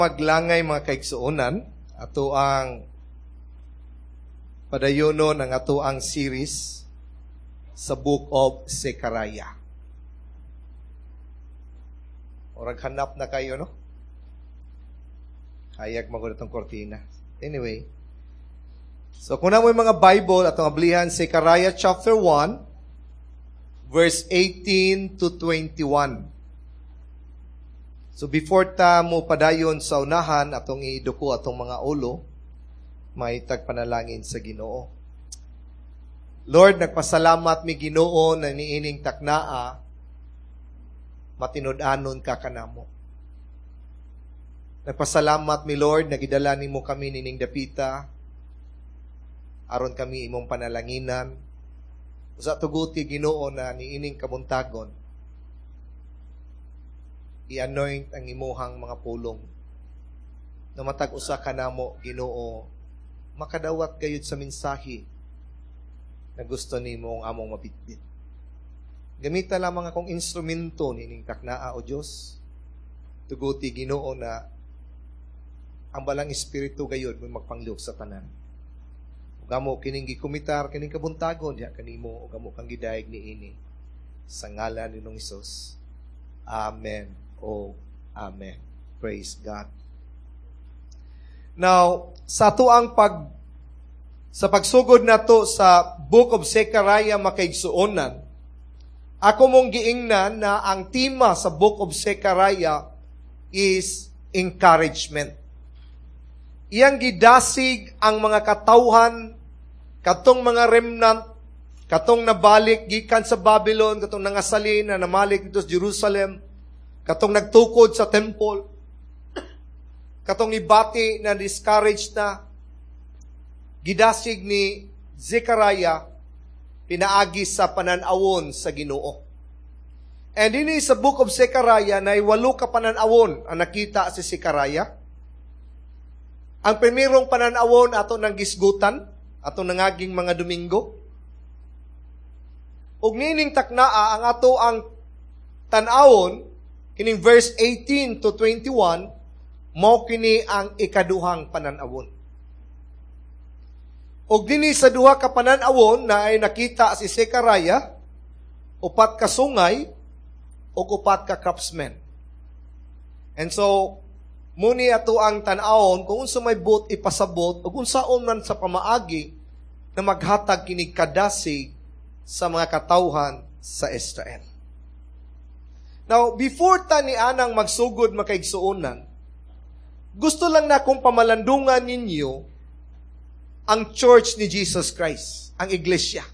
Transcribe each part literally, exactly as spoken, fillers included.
Maglangay mga kaigsuonan, ato ang padayonon ang ato ang series sa Book of Zechariah. Orag hanap na kayo, no? Hayag magod itong kortina. Anyway, so kung naa moy mga Bible, atong ablihan Zechariah chapter one, verse eighteen to twenty-one. So before ta mo padayon sa unahan, atong iduko atong mga ulo, may tagpanalangin sa Ginoo. Lord, nagpasalamat mi Ginoo na niining taknaa, matinud-anon ka kanamo. Nagpasalamat mi Lord, nagidala nimo kami nining dapita, aron kami imong panalanginan. Usa tuguti Ginoo na niining kabuntagon, i-anoint ang imuhang mga pulong. Na matag usa kanamo, Ginoo, makadawat gayud sa mensahe na gusto nimo ang among mabitbit. Gamita lamang akong instrumento nining taknaa, o Dios. Tuguti Ginoo na ang balang espiritu gayud mo magpanglihok sa tanan. Ug amo kining gikomitar kining kabuntagon diha kanimo ug amo kang gidayeg niini sa ngalan ni Hesus. Amen. Oh, amen. Praise God. Now, sa ato ang pag sa pagsugod nato sa Book of Zechariah makaigsuonan, ako mong giingnan na ang tema sa Book of Zechariah is encouragement. Iyang gidasig ang mga katawhan, katong mga remnant, katong nabalik gikan sa Babylon, katong nangasalin na namalik dito sa Jerusalem, katong nagtukod sa temple, katong ibati na discouraged na, gidasig ni Zechariah, pinaagi sa pananawon sa Ginoo. And dinhi sa Book of Zechariah, na walo ka pananawon ang nakita si Zechariah. Ang primerong pananawon ato ng gisgutan, ato nangaging mga Domingo. Ug nining taknaa ang ato ang tan-awon kining verse eighteen to twenty-one, mao kini ang ikaduhang pananawon. Og dinhi sa duha ka pananawon na ay nakita si Zechariah, upat ka sungay ug upat ka craftsmen. And so muni ato ang tan-awon kung unsa may buot ipasabot ug unsaon man sa pamaagi na maghatag kini kadasig sa mga katawhan sa Israel. Now, before ta ni anang magsugod makaigsuonan, gusto lang na kong pamalandungan ninyo ang Church ni Jesus Christ, ang Iglesia.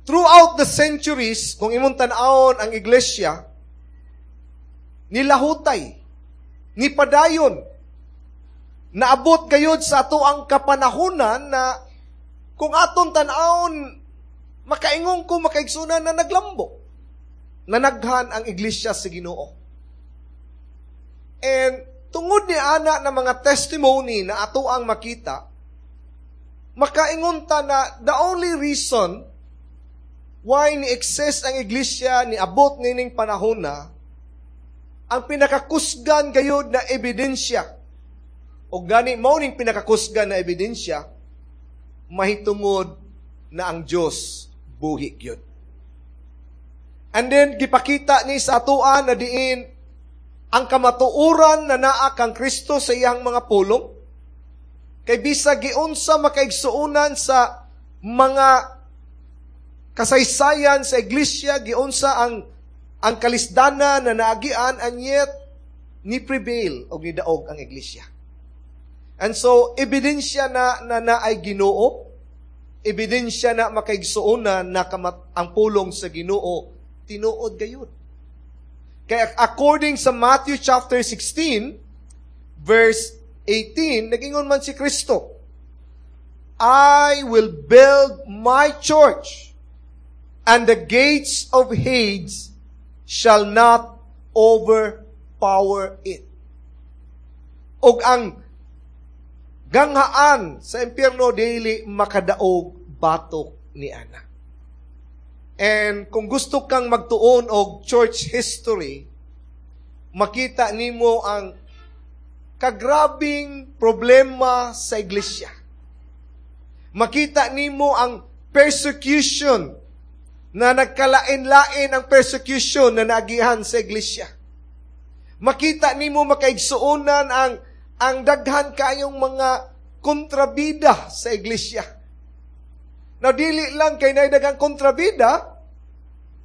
Throughout the centuries, kung imong tan-awon ang Iglesia, nilahutay, nipadayon, naabot gayud sa ato ang kapanahunan na kung aton tan-awon, makaingon ko, makaigsunan na naglambo, nanaghan ang Iglesia sa Ginoo. And tungod ni ana na mga testimony na ato ang makita, makaingon ta na the only reason why ni exist ang Iglesia ni abot nining panahon na, ang pinakakusgan gayud na ebidensya, o gani mao ning pinakakusgan na ebidensya, mahitungod na ang Dios buhi gyud. And then, gipakita ni sa atoan na diin ang kamatuoran na naa kang Kristo sa iyang mga pulong. Kay bisag giunsa makaigsuonan sa mga kasaysayan sa iglesia, giunsa ang, ang kalisdana na naagian, and yet, ni prevail o nidaog ang iglesia. And so, ebidensya na na, na ay Ginoo, ebidensya na makaigsuonan na kamat, ang pulong sa Ginoo, tinuod gayud. Kaya according sa Matthew chapter sixteen, verse eighteen, nagingon man si Kristo, I will build my church, and the gates of Hades shall not overpower it. Og ang ganghaan sa impyerno dili makadaog batok ni ana. And kung gusto kang magtuon og church history, makita nimo ang kagrabing problema sa iglesia. Makita nimo ang persecution na nagkalain-lain ang persecution na naagihan sa iglesia. Makita nimo, makaigsuonan, ang ang daghan kayong mga kontrabida sa iglesia. Na dili lang kay naay daghang kontrabida,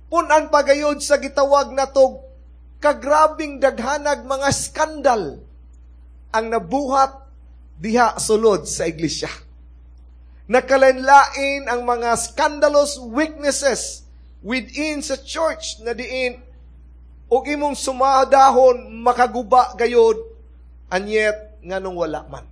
punan pa gayod sa gitawag natog kagrabing daghanag mga skandal ang nabuhat diha sulod sa iglesia. Nakalain-lain ang mga scandalous weaknesses within sa church na diin og imong sumadahon makaguba gayod, and yet nganong wala man.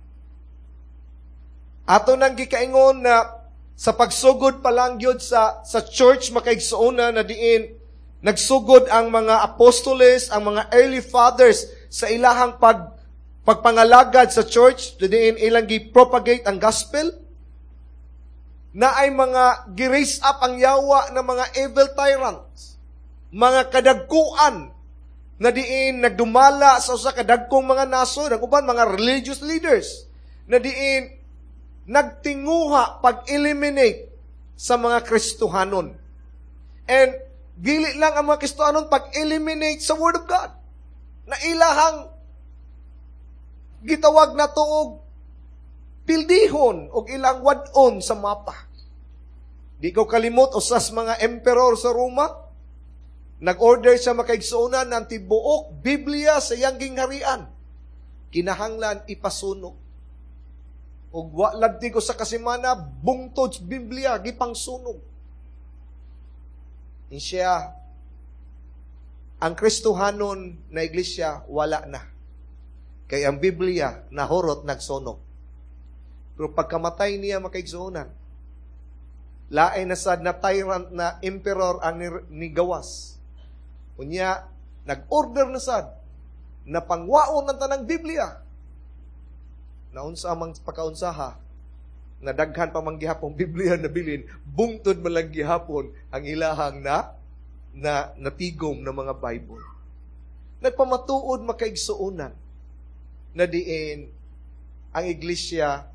Ato nang gikaingon na sa pagsugod pa lang gyud sa sa church, makaigsuonan, na diin nagsugod ang mga apostoles, ang mga early fathers sa ilahang pag pagpangalagad sa church, diin ilang gi-propagate ang gospel, na ay mga gi-raise up ang yawa ng mga evil tyrants, mga kadagkuan na diin nagdumala sa usa ka dagkong mga nasod, ang uban mga religious leaders, na diin nagtinguha pag-eliminate sa mga Kristohanon. And dili lang ang mga Kristohanon, pag-eliminate sa Word of God. Na ilahang gitawag na og pildihon og ilang wad-on sa mapa. Di ko kalimot, usas mga emperor sa Roma, nag-order siya, makaigsuonan, ng tibuok Biblia sa iyang gingharian. Kinahanglan ipasunog. Ug wa lagti ko sa kasimana, bungtod sa Biblia gipangsunog. Siya, ang Kristohanon na iglesia wala na. Kay ang Biblia nahurot nagsunog. Pero pagkamatay niya, makaigsuonan, lain na sad na tyrant na emperor ang nigawas. Unya, nag-order na sad na pangwaon ng tanang Biblia. Naunsa amang pagkaunsaha, na daghan pa man gihapon Biblia na bilin, bungtod man lang gihapon ang ilahang na na natigom ng mga Bible. Nagpamatuod, makaigsuonan, na diin ang iglesia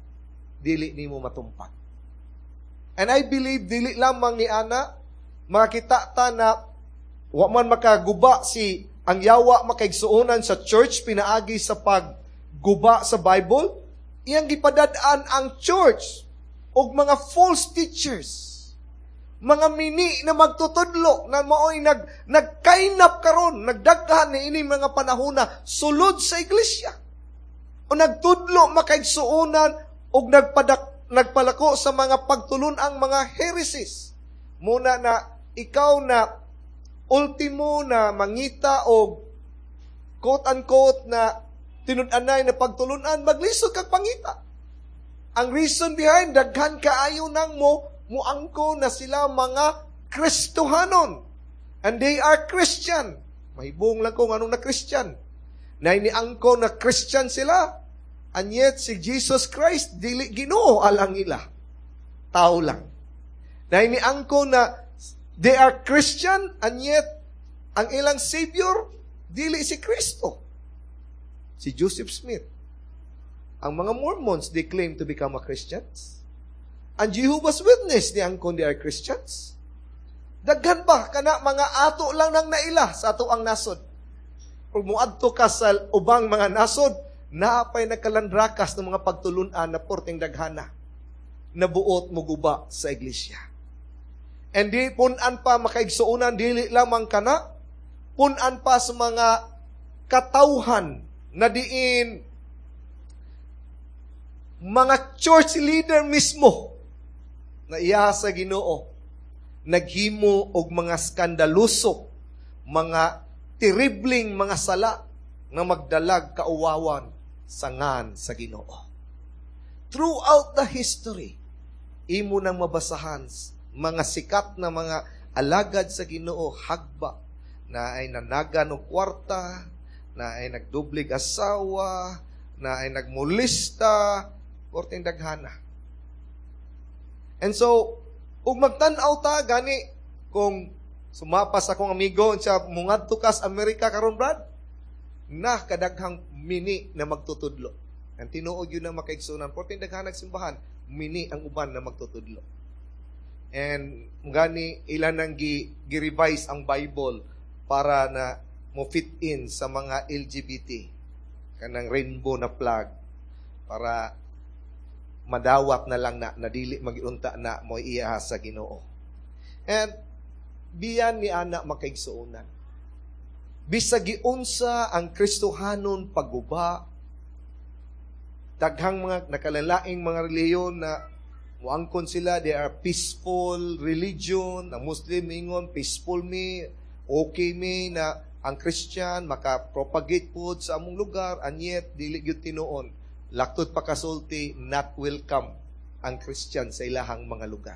dili nimo matumpag. And I believe dili lamang ni ana, makita ta na wa man makaguba si ang yawa, makaigsuonan, sa church pinaagi sa pagguba sa Bible, iyang gipadad-an ang church og mga false teachers, mga mini na magtutudlo na maoy nag nagkainap karon, nagdaghan ni ini mga panahona sulod sa iglesia. O nagtudlo, makaigsuonan, og nagpadak nagpalako sa mga pagtulun-ang mga heresies. Muna na ikaw na ultimo na mangita og quote-unquote na tinud-anay na pagtulunan, maglisod kag pangita. Ang reason behind, daghan kaayo nang mo muangko na sila mga Kristohanon. And they are Christian. Mahibong lang kung anong na Christian. Na iniangko na Christian sila. And yet, si Jesus Christ, dili Ginoo alang ila. Tao lang. Na iniangko na they are Christian, and yet, ang ilang Savior, dili si Kristo. Si Joseph Smith. Ang mga Mormons, they claim to become a Christians. Ang Jehovah's Witness, ni angkon they are Christians. Daghan ba kana mga ato lang nang naila sa ato ang nasod. Kung muadto ka sa ubang mga nasod, naapay nagkalandrakas ng mga pagtulunan na porteng daghana na buot muguba sa iglesia. And di punan pa, makaigsuonan, dili lamang kana, punan pa sa mga katawhan na diin mga church leader mismo na iya sa Ginoo naghimo og mga skandaloso, mga terribleng mga sala na magdalag kauwawan sa ngan sa Ginoo. Throughout the history, imo nang mabasahan mga sikat na mga alagad sa Ginoo hagba na ay nanagan og kwarta, na ay nagdublig asawa, na ay nagmulista, korteng daghana. And so, ug magtan-aw ta gani kung sumapas akong amigo siya mungadto ka sa Amerika karon, Brad. na kadaghang mini na magtutudlo. Ang tinuod yun na makaigsunan, porting daghan simbahan, mini ang uban na magtutudlo. And gani ilan nang gi, gi-revise ang Bible para na mo fit in sa mga L G B T, kanang rainbow na flag, para madawat na lang na na dili magiunta na mo iya sa Ginoo. And biyan ni ana, makaigsuonan, bisag giunsa ang Kristohanon pagguba, daghang mga nakalalaing mga relihiyon na muangkon sila, they are peaceful religion. Ang Muslim ingon, "Peaceful mi, okay mi na ang Christian maka-propagate pod sa among lugar," and yet dili gyud tinuon. Laktod pa kasulti, not welcome ang Christian sa ilahang mga lugar.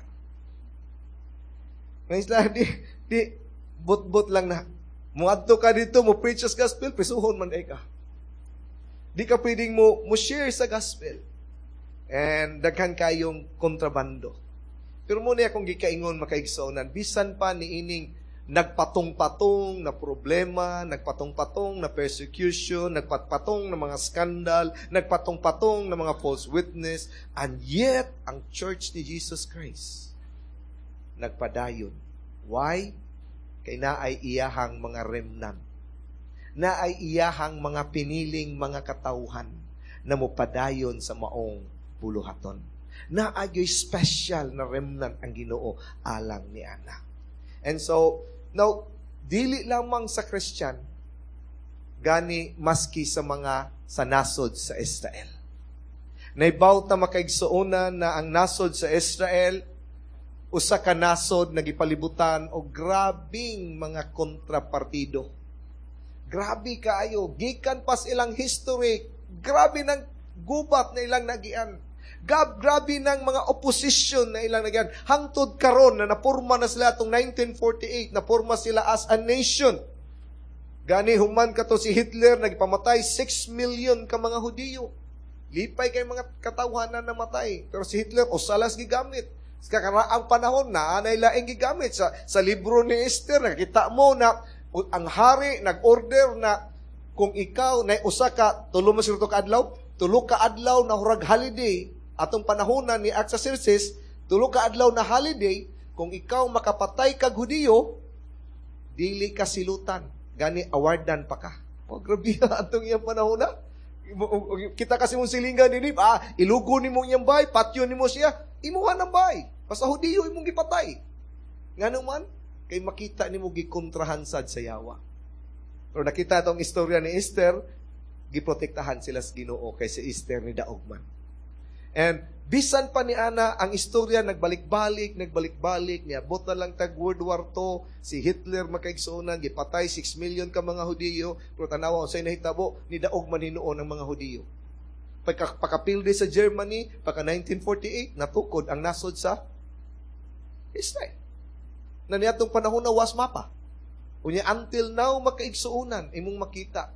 Ngayon sila, di, di, but-but lang na, muadto ka dito, mo preach sa gospel, prisuhon man ay ka. Di ka pwedeng mo, mo share sa gospel. And daghan kayong kontrabando. Pero mo niya akong gikaingon, makaigsuonan, bisan pa ni ining nagpatong-patong na problema, nagpatong-patong na persecution, nagpatpatong na mga skandal, nagpatong-patong na mga false witness, and yet, ang Church ni Jesus Christ nagpadayon. Why? Kay naay iyahang mga remnant. Naay iyahang mga piniling mga katawhan na mopadayon sa maong buluhaton. Naay special na remnant ang Ginoo alang ni ana. And so, now, dili lamang sa Christian, gani maski sa mga sa nasod sa Israel. Naibaw ta, makaigsuonan, na ang nasod sa Israel usa ka nasod na gipalibutan og grabing mga kontrapartido. Grabe kaayo, gikan pas ilang history, grabe ng gubat na ilang nagian. Gab, grabe ng mga opposition na ilang nagian. Hangtod karon na napurma na sila atong nineteen forty-eight, napurma sila as a nation. Gani human kato si Hitler nagpamatay six million ka mga Hudiyo. Lipay kay mga katawhan na namatay. Pero si Hitler usa las gigamit. Sa kakaraang panahon na anay laing gigamit sa sa libro ni Esther, nakita mo na ang hari nag-order na kung ikaw na usa ka tulo man siguro ka adlaw, tulo ka adlaw na hurag holiday atong panahon ni Artaxerxes, tulo ka adlaw na holiday, kung ikaw makapatay kag Hudiyo, dili ka silutan, gani awardan pa ka. Oh, grabe atong iyang panahon na. Kita kasi mong silingan dinhi, ah, ilugo nimo iyang bay, patyon nimo siya, imuha ng bay. Basta Hudiyo imong gipatay. Ngano man, kay makita nimo gikontrahan sad sa yawa. Pero nakita itong istorya ni Esther, giprotektahan sila sa Ginoo kay si Esther ni daog man. And bisan pa ni ana ang istorya nagbalik-balik, nagbalik-balik, niabot na lang tag World War Two, si Hitler, makaigsuonan, gipatay six million ka mga Hudiyo, pero tanawa unsay nahitabo, ni daog man hinuon ang mga Hudiyo. Pagka, pakapildi sa Germany, pagka nineteen forty-eight, natukod ang nasod sa Israel. Na niadtong panahon na was mapa. Unya until now, makaigsuonan, imong makita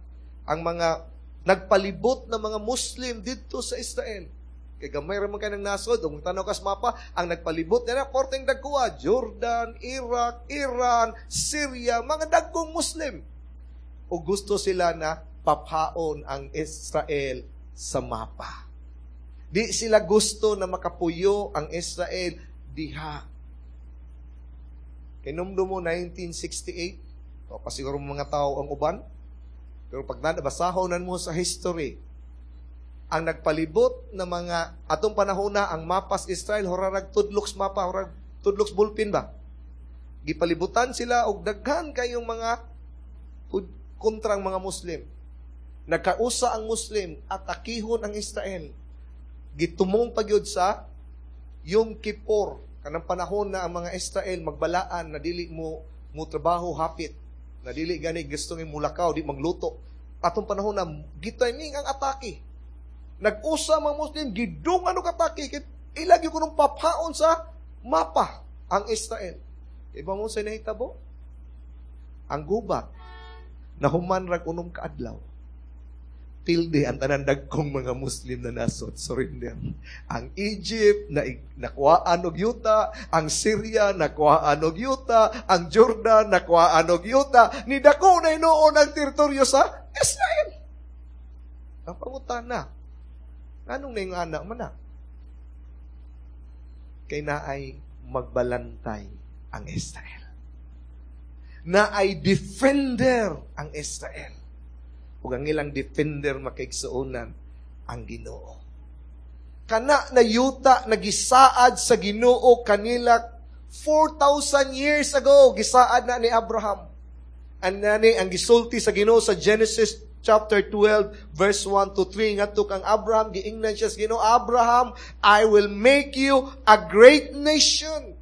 ang mga nagpalibot na mga Muslim didto sa Israel. Kay gamay ra man kay ng nasod, ug tanaw kas mapa, ang nagpalibot nila porteng dagkoa, Jordan, Iraq, Iran, Syria, mga dagkong Muslim. O gusto sila na paphaon ang Israel sa mapa. Di sila gusto na makapuyo ang Israel diha. Kinumdum mo nineteen sixty-eight, o pasiguro mga tao ang uban, pero pag nabasahon mo sa history, ang nagpalibot na mga atong panahon na ang mapas Israel horarag tudloks mapa, horag tudloks ballpen ba, gipalibutan sila og daghan kayong mga kontrang mga Muslim. Nagkausa ang Muslim, atakihon ang Israel. Gitumong pagyud sa Yom Kippur, kanang panahon na ang mga Israel magbalaan na dili mo mo trabaho hapit na dili gani gusto ng mulakaw, di magluto. Atong panahon na gitiming ang atake, nag-usa mga Muslim, gidungan og atake kay ilagi ko nung paphaon sa mapa ang Israel. Iba mo sa nahitabo? Ang gubat, nahuman rag unom ka adlaw. Pildi ang tanan dagkong mga Muslim na nasod surrender. Ang Egypt na nakuhaan og yuta, ang Syria nakuhaan og yuta, ang Jordan nakuhaan og yuta, ni dako na hinuon ang teritoryo sa Israel. Ang pangutana, nganong na yung anak man na? Kay naay magbalantay ang Israel. Naay defender ang Israel. Ug ang ilang defender makaigsuonan ang Ginoo. Kana na yuta na gisaad sa Ginoo kanila four thousand years ago, gisaad na ni Abraham. And nani ang gisulti sa Ginoo sa Genesis chapter twelve verse one to three ngadto kang Abraham. Giingnan siya sa Ginoo, "Abraham, I will make you a great nation.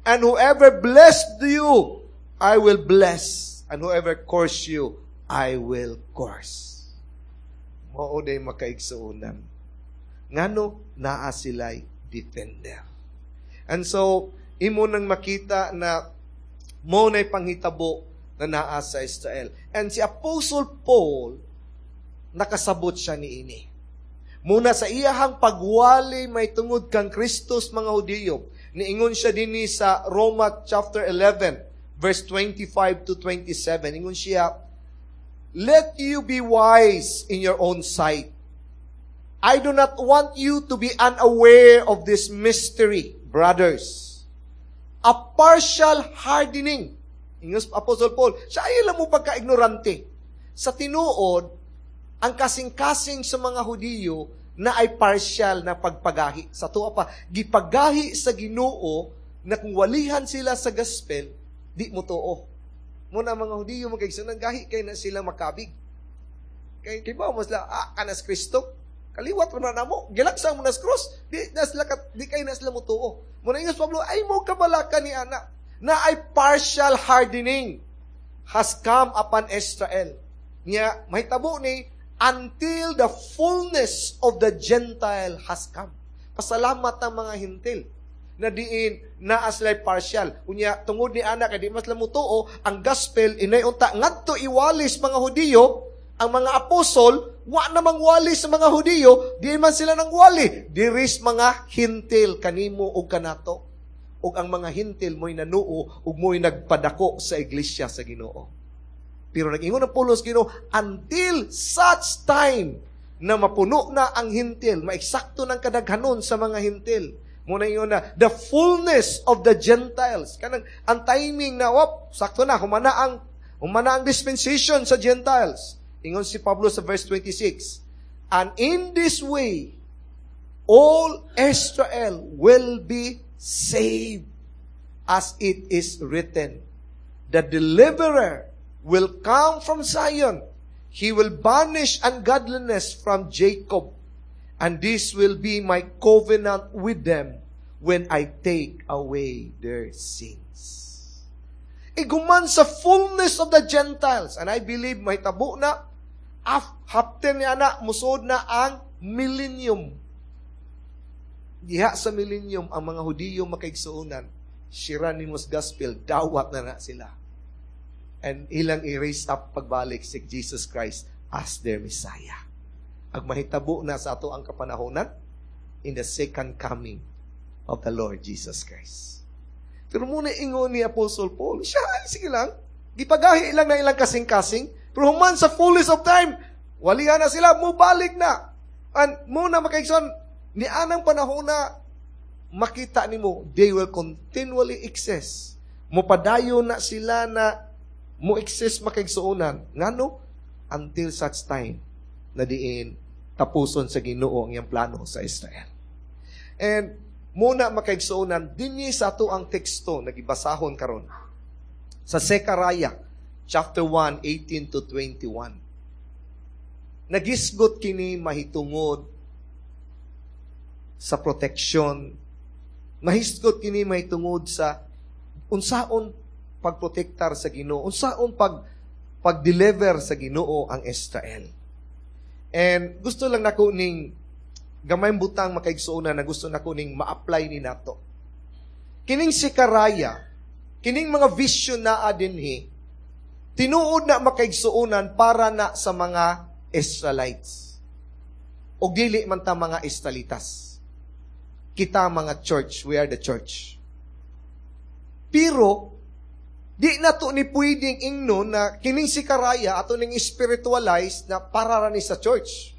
And whoever blessed you, I will bless. And whoever curse you, I will curse." Mao day makaigsuonan. Ngano naa sila'y defender. And so, imo nang makita na mo na'y panghitabo na naa sa Israel. And si Apostle Paul, nakasabot siya ni ini. Muna sa iyahang pagwali may tungod kang Kristus mga Hudiyo, niingon siya dinhi sa Roma chapter eleven, verse twenty-five to twenty-seven. Ingon siya, "Let you be wise in your own sight. I do not want you to be unaware of this mystery, brothers. A partial hardening." Ingon Apostle Paul, siya ay alam mo pagka-ignorante. Sa tinuod, ang kasing-kasing sa mga Hudiyo na ay partial na pagpagahi. Sa tuwa pa, gipagahi sa Ginoo na kung walihan sila sa gospel, di mo tuo. Muna mga Hudiyo magkaigsunan, gahi kay na sila makabig. Kay kay ba mo sila, ah, kanas Kristo, kaliwat mo na mo, gilagsang mo na sa cross, di, na sila, di kay na sila mo tuo. Muna ingon Pablo, ay mo kabalaka ni ana, na ay partial hardening has come upon Israel. Nya, mahitabo ni, until the fullness of the Gentile has come. Pasalamat ang mga Hintil na diin naa sila'y partial. Unya, tungod ni ana, kay di mas mutuo, ang gospel, inay unta, ngadto iwalis mga Hudiyo, ang mga apostol, wa namang wali sa mga Hudiyo, di man sila nang wali. Diris mga Hintil, kanimo o kanato. Ug ang mga Hintil mo'y nanuo, ug mo'y nagpadako sa iglesia sa Ginoo. Pero nag-ingon ang Paulo sa Ginoo, until such time na mapuno na ang Hintil, maексakto ng kadaghanon sa mga Hintil. Muna yun na, the fullness of the Gentiles. Kanang, ang timing na, wop, sakto na, humana ang, humana ang dispensation sa Gentiles. Ingon si Pablo sa verse twenty-six, "And in this way, all Israel will be saved, as it is written, 'The deliverer will come from Zion. He will banish ungodliness from Jacob. And this will be my covenant with them when I take away their sins.'" Iguman sa fullness of the Gentiles. And I believe may tabo na, after niya na, musod na ang millennium. Diha sa millennium, ang mga Hudiyo makaigsuonan, Hieronymus Gospel, dawat na na sila. And ilang i-raise up pagbalik si Jesus Christ as their Messiah. Ag mahitabo na sa ato ang kapanahonan in the second coming of the Lord Jesus Christ. Pero muna ingon ni Apostle Paul, siya ay sige lang, gipagahi lang na ilang kasing-kasing, pero human sa fullness of time, walihan na sila, mubalik na. And muna makaigsoon, ni anang panahon na makita nimo, they will continually exist. Mupadayon na sila na mo exist makaigsuonan. Ngano? Until such time na diin tapuson sa Ginoo ang iyang plano sa Israel. And muna makaigsuonan, dinhi sa ato ang teksto nagibasahon karon. Sa Zechariah chapter one, eighteen to twenty-one. Nagisgot kini mahitungod sa protection. Nahisgot kini mahitungod sa unsaon pagprotektar sa Ginoo, unsaon pag pag-deliver sa Ginoo ang Israel. And gusto lang nako ning gamay butang makaigsuonan na gusto nako ning ma-apply ni nato. Kining Zechariah, kining mga vision naa dinhi, tinuod na makaigsuonan para na sa mga Israelites. O dili man ta mga Israelitas. Kita mga church, we are the church. Pero, di na to ni pwedeng ingnon na kining Zechariah ato ning spiritualize na para ra ni sa church.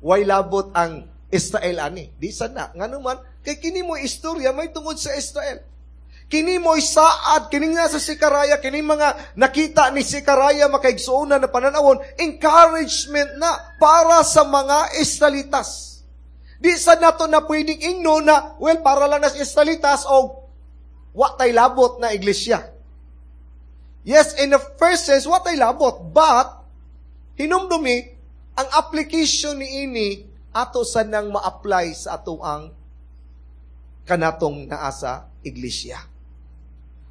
Way labot ang Israel ani. Di sana. Ngano man, kay kini mo istorya may tungod sa Israel. Kini mo'y saad, kini nga sa Zechariah, kini mga nakita ni Zechariah makaigsuonan na pananawon, encouragement na para sa mga Israelitas. Di sa nato na pwedeng ingno na, well, para lang na sa Israelitas o wa tay labot na iglesia. Yes, in the first sense, wa tay labot. But, hinumdumi, ang application ni ini ato sa nang ma-apply sa ato ang kanatong naa sa iglesia.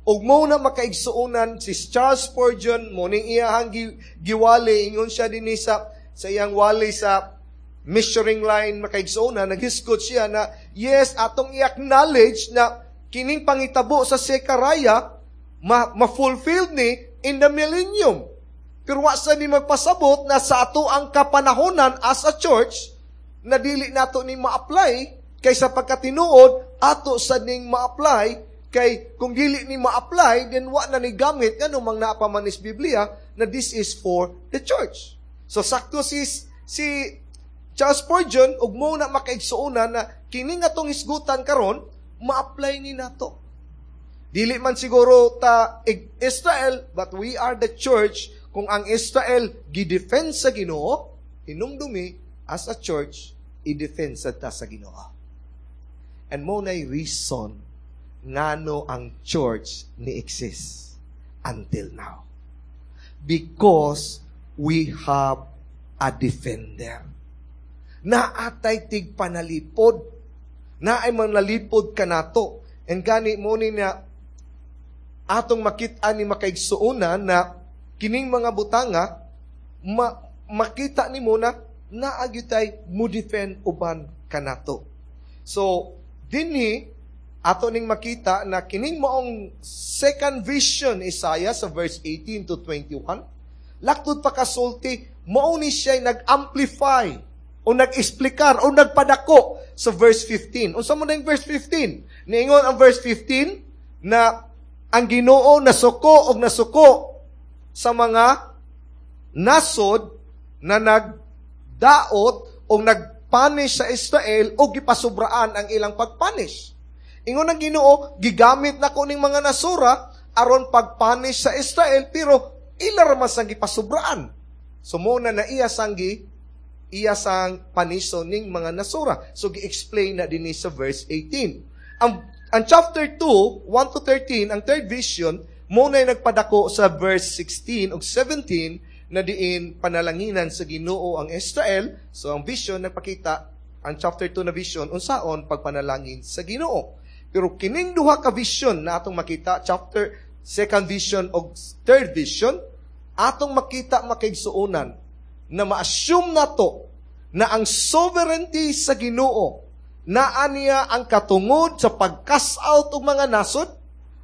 Ug mo na makaigsuonan si Charles Spurgeon mo ning iyahang gi, giwali ingon siya dinhi sa sa iyang wali sa measuring line makaigsuonan naghisgot siya na yes atong i-acknowledge na kining pangitabo sa Zechariah ma, ma-fulfilled ni in the millennium. Pero wa sa ni magpasabot na sa ato ang kapanahonan as a church na dili nato ni ma-apply kay sa pagkatinuod ato sa ning ma-apply kay kung dili ni ma-apply then wa na ni gamit ngano mang naa pa man is Biblia na this is for the church. So sakto si si Charles Spurgeon ug mo na makaigsuonan na kini nga tong hisgutan karon ma-apply ni nato. Dili man siguro ta Israel but we are the church kung ang Israel gi-defend sa Ginoo hinumdumi as a church i-defend sa ta sa Ginoo. And mo nay reason ngano ang church ni exist until now. Because we have a defender. Naatay tig panalipod. Naay manalipod kanato. And gani mo ni na atong makita ni makaigsuonan na kining mga butanga ma, makita nimo na naa gyud tay mo defend uban kanato. So dinhi ato ning makita na kining maong second vision Isaiah sa verse eighteen to twenty-one laktod pa kasulti mao ni siya nag-amplify o nag-explicar o nagpadako sa verse fifteen. Unsa mo na yung verse fifteen? Niingon ang verse fifteen na ang Ginoo nasuko og nasuko sa mga nasod na nagdaot o nagpunish sa Israel o gipasubraan ang ilang pagpunish. Ingon ang Ginoo, gigamit na ko ning mga nasura aron pagpunish sa Israel pero ila ra man sang gipasubraan. So mo na na iya sang gi iya sang paniso ning mga nasura. So gi-explain na dinhi sa verse eighteen. Ang ang chapter two, one to thirteen, ang third vision, mo na nagpadako sa verse sixteen ug seventeen na diin panalanginan sa Ginoo ang Israel. So ang vision nagpakita ang chapter two na vision unsaon pagpanalangin sa Ginoo. Pero kining duha ka vision na atong makita, chapter second vision og third vision, atong makita makaigsuonan na ma-assume nato na ang sovereignty sa Ginoo naa niya ang katungod sa pag-cast out og mga nasod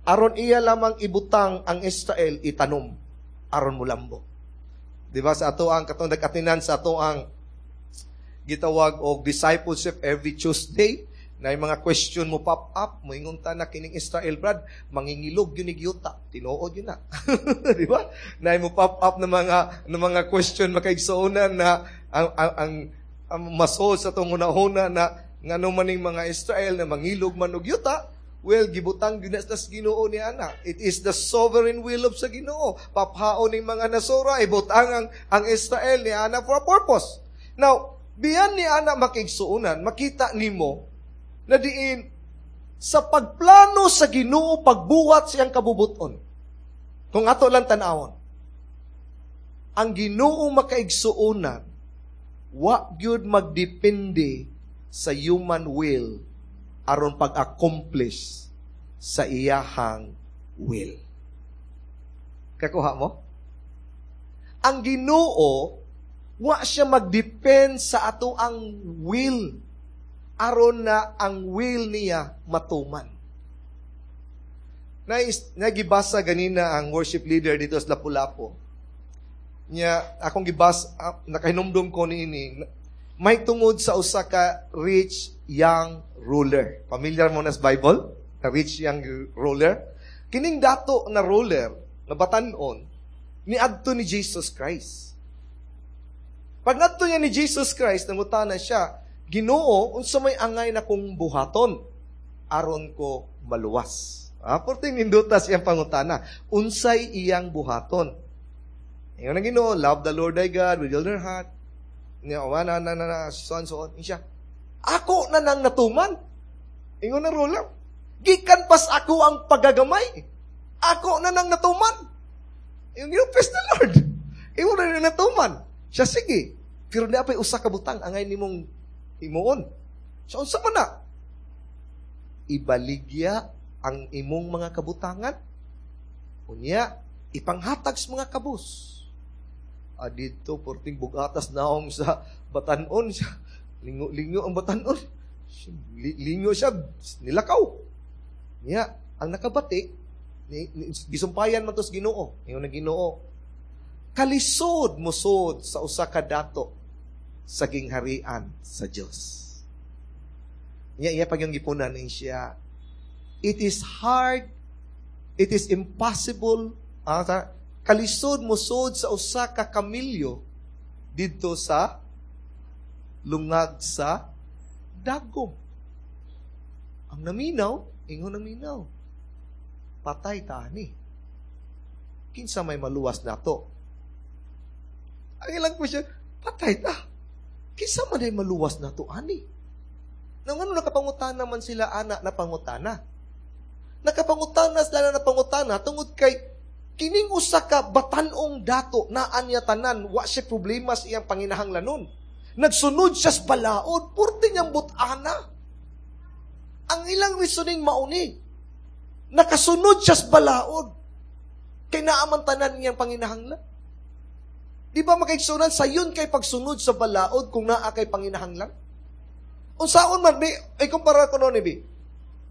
aron iya lamang ibutang ang Israel itanom aron mulambo. Di ba sa ato ang katong nag-atinan sa ato ang gitawag og discipleship every Tuesday na yung mga question mo pop up, moingon ta na kining Israel brad, mangingilog yun yuta. Tinuod yun na. Di ba? Na mo pop up na mga na mga question makaigsuonan na ang ang, ang, ang masol sa itong una-una na ngano maning mga Israel na mangilog man og yuta, well, gibutang gyud na sa Ginoo ni ana. It is the sovereign will of sa Ginoo. Paphaon ning mga nasura, ibutang ang, ang Israel ni ana for a purpose. Now, biyan ni ana makigsuonan, makita nimo na diin sa pagplano sa Ginoo pagbuhat siyang kabubuton. Kung ato lang tan-awon, ang Ginoo makaigsuonan, wa gyud magdepende sa human will aron pag-accomplish sa iyahang will. Kakuha mo? Ang Ginoo wa siya magdepend sa ato ang will aron na ang will niya matuman. Nagibasa ganina ang worship leader dito sa Lapu-Lapu. Nya akong gibas uh, nakahinumdum ko niini may tungod sa usa ka rich young ruler. Familiar mo na sa Bible? Na rich young ruler. Kining dato na ruler na batan-on niadto ni Jesus Christ. Pag ngadto niya ni Jesus Christ, nangutana siya, Ginoo, unsa may angay na kong buhaton aron ko maluwas? Ah, porting nindutas iyang pangutana. Unsay iyang buhaton? Ingon ang Ginoo, love the Lord thy God with all your heart. Niya, na, na, na, na, so on, so on. Siya, ako na nang natuman. Ingon ang ruler. Gikan pas ako ang pagagamay. Ako na nang natuman. Ingon Ginoo, praise the Lord. Ingon na nang natuman. Siya, sige. Pero naa pa'y usa ka butang angay nimong himuon. Siya, unsa man na? Ibaligya ang imong mga kabutangan. Unya, ipanghatag sa mga kabus. Ah, dito, porting bugatas naong sa batanon siya. Lingo-lingo ang batanon. Lingo siya, nilakaw. Niya, ang nakabati, ni, ni, gisumpayan man to sa Ginoo. Ingon ang Ginoo. Kalisod musod sa usa ka dato sa gingharian sa Dios. Niya iya pag yung gipunan ni siya, it is hard, it is impossible, ah, kalisod musod sa usa ka kamilyo didto sa lungag sa dagom. Ang naminaw, ingon ang minaw. Patay ta ani. Kinsa may maluwas nato? Ang ilang question, patay ta. Kinsa man ay maluwas nato ani? Nang ano nakapangutana man sila ana na pangutana. Nakapangutana sila na pangutana tungod kay kining usa ka batan-ong dato naa niya tanan, wa siya problema sa iyang panginahanglanon. Nagsunod siya sa balaod, purti niyang butana. Ang ilang reasoning mauni. Nakasunod siya sa balaod. Kay naaman tanan niyang panginahanglan. Di ba makaigsunan, sayon kay pagsunod sa balaod kung naa kay panginahanglan? Unsaon man, bi, ay kumpara ko noon, bi.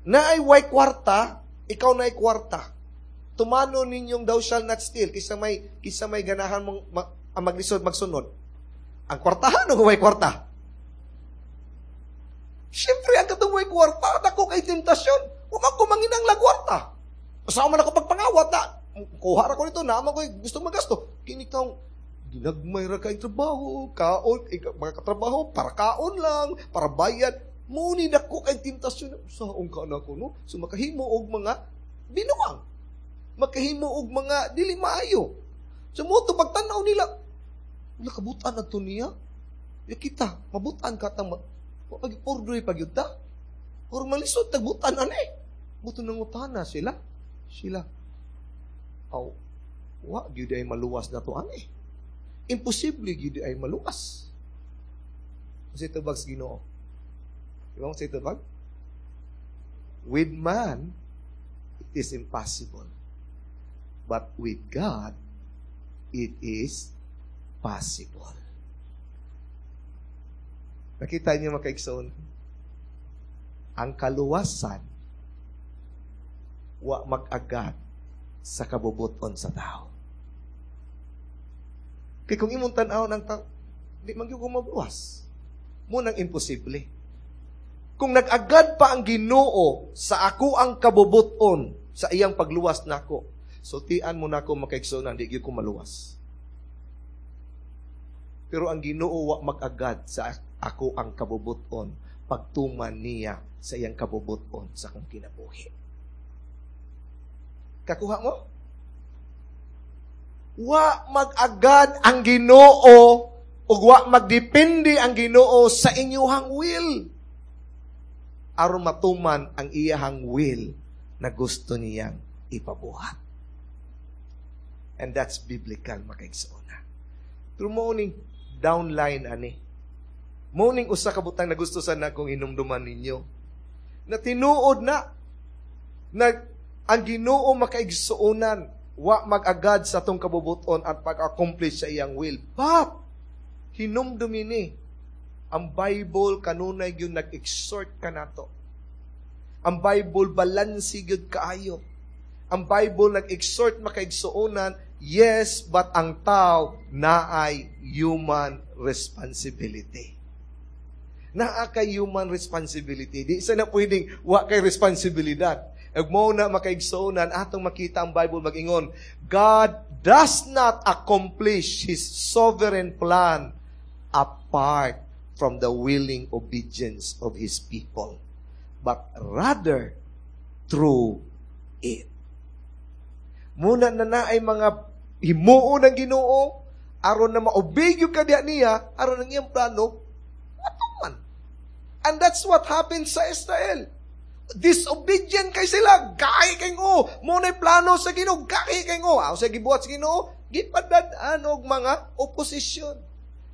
Naay way kwarta, ikaw naay kwarta. Tumano ninyong thou shall not steal, kisa may, kisa may ganahan mong ma, ang maglisod magsunod. Ang kwartahan o way kwarta? Siyempre, ang katong way kwarta, dako kay tentasyon. Wa man ko manginang kwarta. Sa man ako pagpangawat na, kuha ra ko nito, naman ko gusto magasto. Kini taong ginagmay ra kay trabaho, kaon, eh, mga katrabaho, para kaon lang, para bayad. Muni dako kay tentasyon. Saong ka na ko, no? So makahimo og mga binuang. Makahimo og mga dili maayo. So mo to pagtan-aw nila, wala kabutan na to niya. Ya kita, mabutan ka tang pag pordoy pagyud ta. Or malisod tagbutan ani. Buto nangutana sila. Sila. Aw, wa gyud ay maluwas na to ani. Imposible gyud ay maluwas. Kasi tubag sa Ginoo. Di ba mo sa tubag? With man, it is impossible. But with God, it is possible. Nakita niyo mga kaigsoon? Ang kaluwasan wa mag-agad sa kabubuton sa tao. Kay kung imong tan-aw ng tao, di man gyud ko mabuwas. Mo nang imposible. Kung nag-agad pa ang Ginoo sa ako ang kabubuton sa iyang pagluwas nako, sultian mo nako makaigsoon, di gyud ko maluwas. Pero ang Ginoo wa mag-agad sa ako ang kabubuton pagtuman niya sa iyang kabubuton sa akong kinabuhi. Kakuha mo? Wa mag-agad ang Ginoo ug wa magdepende ang Ginoo sa inyuhang will aron matuman ang iyahang will na gusto niyang ipabuhat. And that's biblical, makaigsoona. Pero mo ning downline ani. Mo ning usa ka butang na gusto sana kong hinumduman ninyo. Na tinuod na na ang Ginoo makaigsuonan wa mag-agad sa atong kabubuton at pag-accomplish sa iyang will. But hinumdumi ni ang Bible kanunay gyud nag-exhort kanato. Ang Bible balansi gyud kaayo. Ang Bible nag-exhort makaigsuonan Yes, but ang tao naay human responsibility. Naa kay human responsibility. Di sa na pwedeng wa kay responsibilidad. Ug mao na makaigsuonan atong makita ang Bible magingon, God does not accomplish His sovereign plan apart from the willing obedience of His people, but rather through it. Muna na na ay mga himuon ng Ginoo aron na maobey ka diya niya aron ang iyang plano matuman. And that's what happened sa Israel. Disobedient kay sila, gahi kay ngo. Mao na plano sa Ginoo, gahi kay ngo. Aw sa gibuhat sa Ginoo, gipadad-an og mga oposisyon.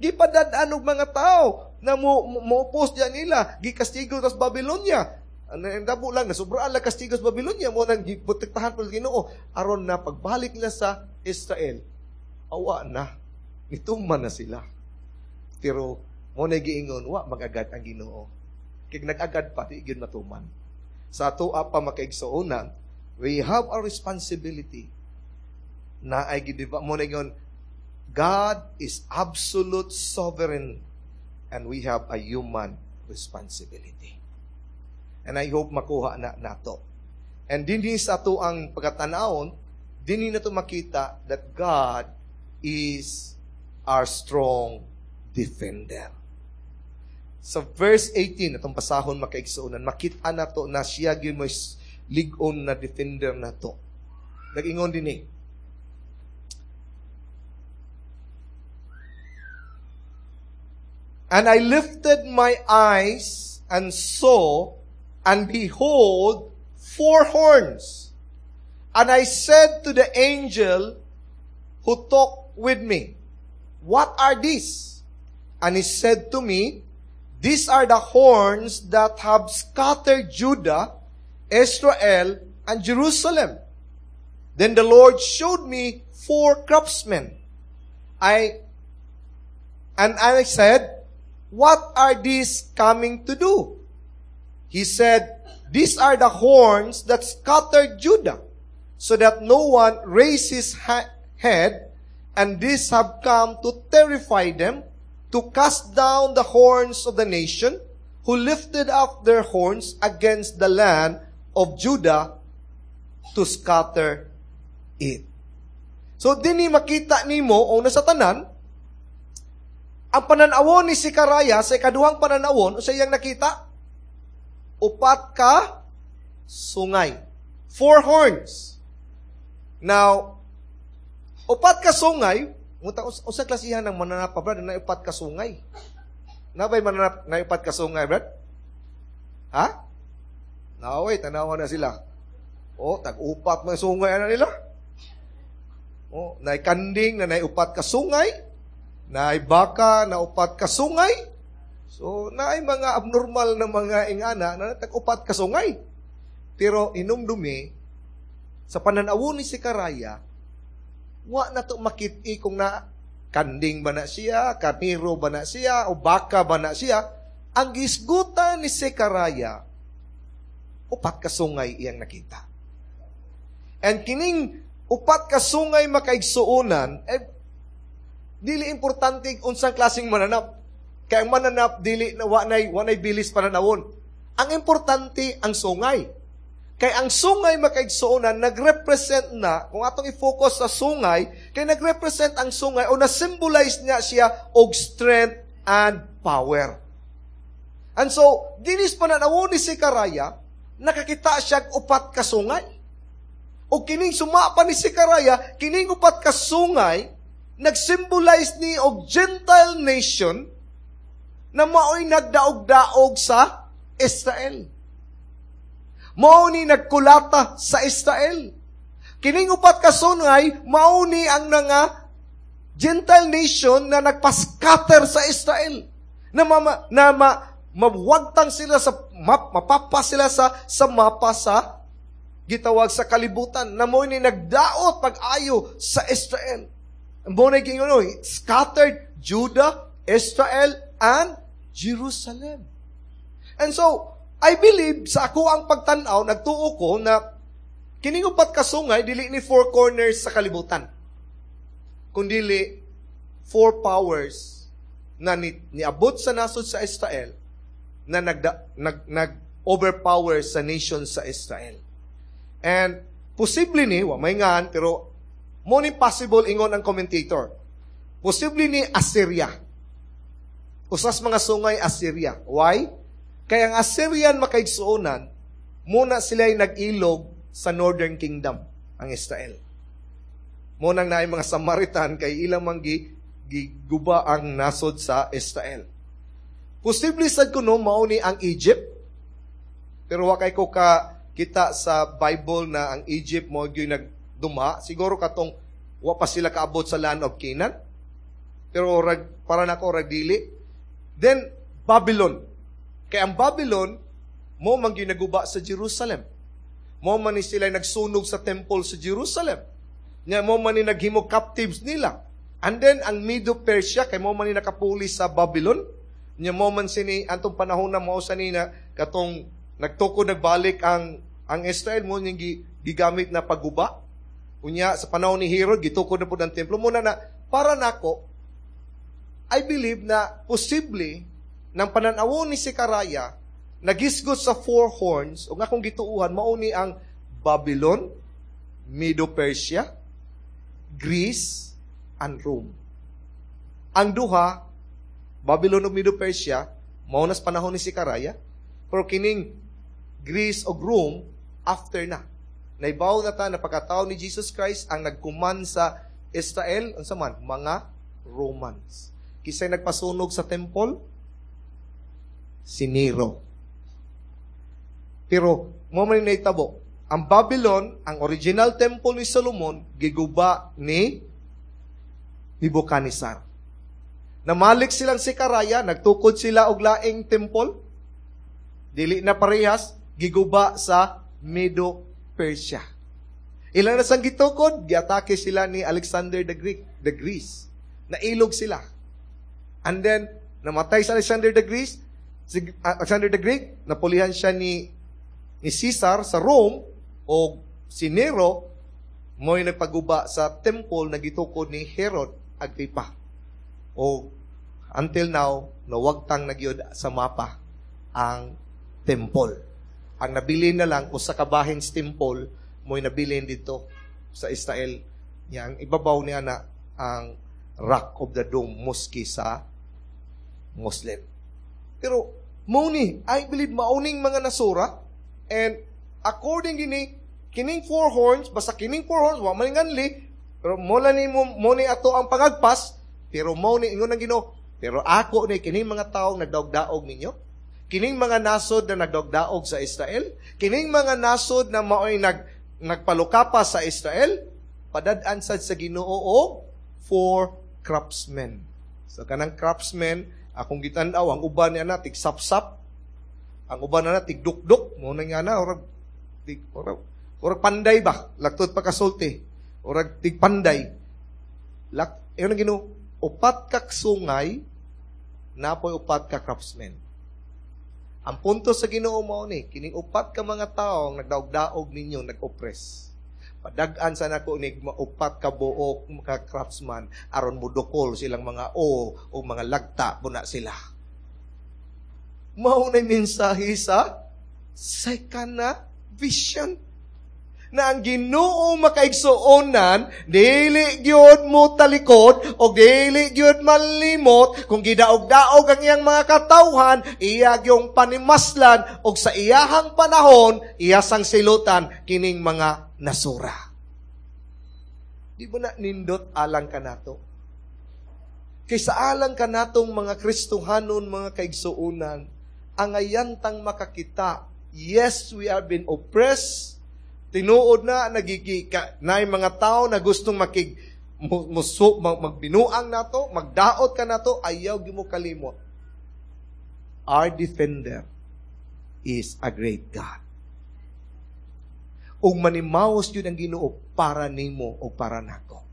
Gipadad-an og mga tao na mo mo oppose diyan nila, gikastigo sa Babylonia. Ano ang dabo lang nasubraan lang kastigo sa Babylonia mao nang giprotektahan pa sa Ginoo aron na pagbalik nila sa Israel. Awa na. Nituman na sila. Pero mao na giingon wa magagad ang Ginoo. Kay nag-agad pa di gyud matuman. Sa atoa pa makaigsuonan, we have a responsibility na ay gidiba mao na ingon God is absolute sovereign and we have a human responsibility. And I hope makuha na nato. And dinhi sa ato ang pagkatanawon, dinhi nato makita that God is our strong defender. Sa verse eighteen, atong pasahon makaigsuonan, makita nato na siya gyud mo lig-on na defender nato. Nag-ingon dinhi. And I lifted my eyes and saw, and behold, four horns. And I said to the angel who talked with me, What are these? And he said to me, These are the horns that have scattered Judah, Israel, and Jerusalem. Then the Lord showed me four craftsmen. I, and I said, What are these coming to do? He said, These are the horns that scattered Judah, so that no one raises his ha- head, and these have come to terrify them, to cast down the horns of the nation, who lifted up their horns against the land of Judah to scatter it. So, dinhi makita nimo o nasa tanan, ang pananawon ni Zechariah sa ikaduhang pananawon, sa iyang nakita, upat ka sungay. Four horns. Now, upat ka sungay, unta usa klasihan ng mananap pa, brad, na upat ka sungay. Nabay mananap na upat ka sungay, brad? Ha? Naway, tanawa na sila. Oh, tag-upat man sungay ana nila. Oh, nay kanding na nay upat ka sungay, nay baka na upat ka sungay. So, naay mga abnormal na mga ingana na tag-upat ka sungay. Pero inumdumi sa pananawon ni Zechariah, wa na to makit-i kung na kanding ba na siya, karniro ba na siya, o baka ba na siya. Ang gisgutan ni Zechariah, upat ka sungay iyang nakita. And kining upat ka sungay makaigsuonan, eh, dili importante unsang klaseng mananap. Kaya ang mananap, dili na wa nay, wa nay bilis pananawon. Ang importante, ang sungay. Kay ang sungay makaigsuonan, nagrepresent na, kung atong i-focus sa sungay, kay nagrepresent ang sungay o na-symbolize niya siya og strength and power. And so, dinis pananawon ni Zechariah, nakakita siya og upat ka sungay. O kining sumapa ni Zechariah, kining upat ka sungay, nagsymbolize ni og Gentile nation na mao'y nagdaog-daog sa Israel. Mao ni nagkulata sa Israel. Kining upat ka sungay, mao ni ang nga Gentile nation na nagpa-scatter sa Israel. Na mama, na ma, mawagtang sila sa map, mapapa sila sa, sa mapa sa gitawag sa kalibutan. Na mao ni nagdaot pag-ayo sa Israel. Mao ni gingon, scattered Judah, Israel, and Jerusalem. And so, I believe sa ako ang pagtan-aw, nagtuo ko na kining upat ka sungay dili ni four corners sa kalibutan. kundili four powers na ni, niabot sa nasod sa Israel na nagda, nag, nag overpower sa nation sa Israel. And posible ni, wa may ngan, pero mo ni possible ingon ang commentator. Posible ni Assyria. Usas mga sungay Assyria. Why? Kaya ang Assyrian makaigsuonan, muna sila ay nag-ilog sa Northern Kingdom, ang Israel. Munang naay mga Samaritan kay ilang man gi, giguba ang nasod sa Israel. Posible sad kuno mao ni ang Egypt. Pero wa kay ko ka kita sa Bible na ang Egypt mo gyud nagduma. Siguro katong wa pa sila kaabot sa land of Canaan. Pero rag, para nako rag dili. Then Babylon. Kay ang Babylon mo man gyud naguba sa Jerusalem. Mo man ni sila nagsunog sa temple sa Jerusalem. Nya mo man ni naghimo captives nila. And then ang Medo-Persia kay mo man ni nakapuli sa Babylon. Nya mo man sini antong panahon na mao sa ni na katong nagtukod nagbalik ang ang Israel mo ning gigamit na pagguba. Unya sa panahon ni Herod gitukod na pud ang templo mo na na para nako I believe na posible ng pananawon ni Zechariah nagisgot sa four horns ug akong gituuhan mao ni ang Babylon, Medo-Persia, Greece, and Rome. Ang duha, Babylon ug Medo-Persia, mao nas panahon ni Zechariah, pero kining Greece ug Rome after na. Naibaw na ta na pagkatao ni Jesus Christ ang nagkuman sa Israel, unsa man, mga Romans. Kisay nagpasunog sa temple? Si Nero. Pero mo man nahitabo, ang Babylon, ang original temple ni Solomon, giguba ni Nebuchadnezzar. Namalik silang Zechariah, nagtukod sila og laing temple. Dili na parehas, giguba sa Medo-Persia. Ilan na sang gitukod, giatake sila ni Alexander the Greek, the Greece. Nailog sila. And then, namatay si Alexander the Greece, si Alexander the Great, napulihan siya ni ni Caesar sa Rome o si Nero mo'y nagpaguba sa temple na gitukod ni Herod Agrippa. O until now, nawagtang na gyud sa mapa ang temple. Ang nabilin na lang usa ka bahin sa temple mo'y nabilin dito sa Israel. Yang ibabaw niya na ang Rock of the Dome Mosque sa Muslim. Pero mao ni, I believe mauning mga nasura and according gini kining four horns basta kining four horns wa man nganli pero mo ni mo, mo ni ato ang pangagpas pero mo ni ingon ang Ginoo pero ako ni kining mga tawo nagdaog-daog ninyo kining mga nasod na nagdaog-daog sa Israel kining mga nasod na maoy nag nagpalukapa sa Israel padad-an sad sa Ginoo og four craftsmen so kanang craftsmen akong gitan-aw ang uban niya na tig-sapsap ang uban na tig-dukduk mo na nga na orag tig orag, orag panday ba laktod pa kasulti orag tig panday lak ingon ang Ginoo upat ka sungay napoy upat ka craftsmen ang punto sa Ginoo mao ni kining upat ka mga tawo nagdaog-daog ninyo nag-oppress Padag-an sa nako ni upat ka buok ka craftsman aron mudukol silang mga o o mga lagta buna sila. Mao na mensahe sa second na vision na ang Ginoo makaigsuonan dili gyud mo talikod o dili gyud malimot kung gidaog-daog ang iyang mga katawhan iya gyung panimaslan og sa iyahang panahon iya sang silutan kining mga nasura. Di ba na nindot alang kanato? Kay sa alang kanatong mga Kristohanon, mga kaigsuonan, ang ayantang makakita, yes, we have been oppressed, tinuod na, nagigi, ka, na mga tao na gustong makig, muso, mag, magbinuang nato, magdaot ka nato, ayaw gyud mo kalimot. Our defender is a great God. Ug manimaos yun ang Ginoo para nimo o para nako.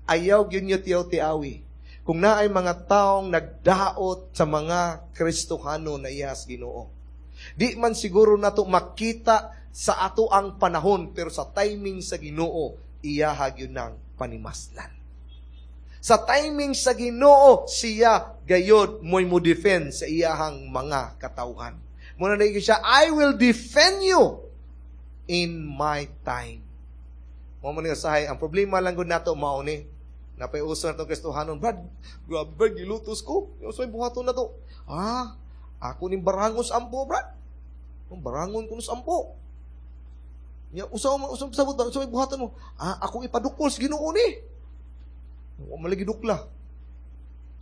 Ayaw gyud nyo tiyaw-tiawi. Kung naay mga taong nagdaot sa mga Kristohano na iyas Ginoo. Di man siguro nato makita sa ato ang panahon pero sa timing sa Ginoo iyaha gyud nang panimaslan. Sa timing sa Ginoo, siya gayod mo'y mo defend sa iyahang mga katawhan. Muna na siya, "I will defend you in my time." Mo man usahay, ang problema lang gud nato mao ni. Napay uso na itong Kristohanon, "Brad, grabe brad, gilutos ko. Yung sa buhaton na to." "Ah, ako ning barangon sa ampo, Brad. Ang barangon ko sa ampo." "Nya, usa mo, usa sabot ba, usa may buhaton mo?" "Ah, ako ipadukol sa Ginoo ni." Wa malagi dukla.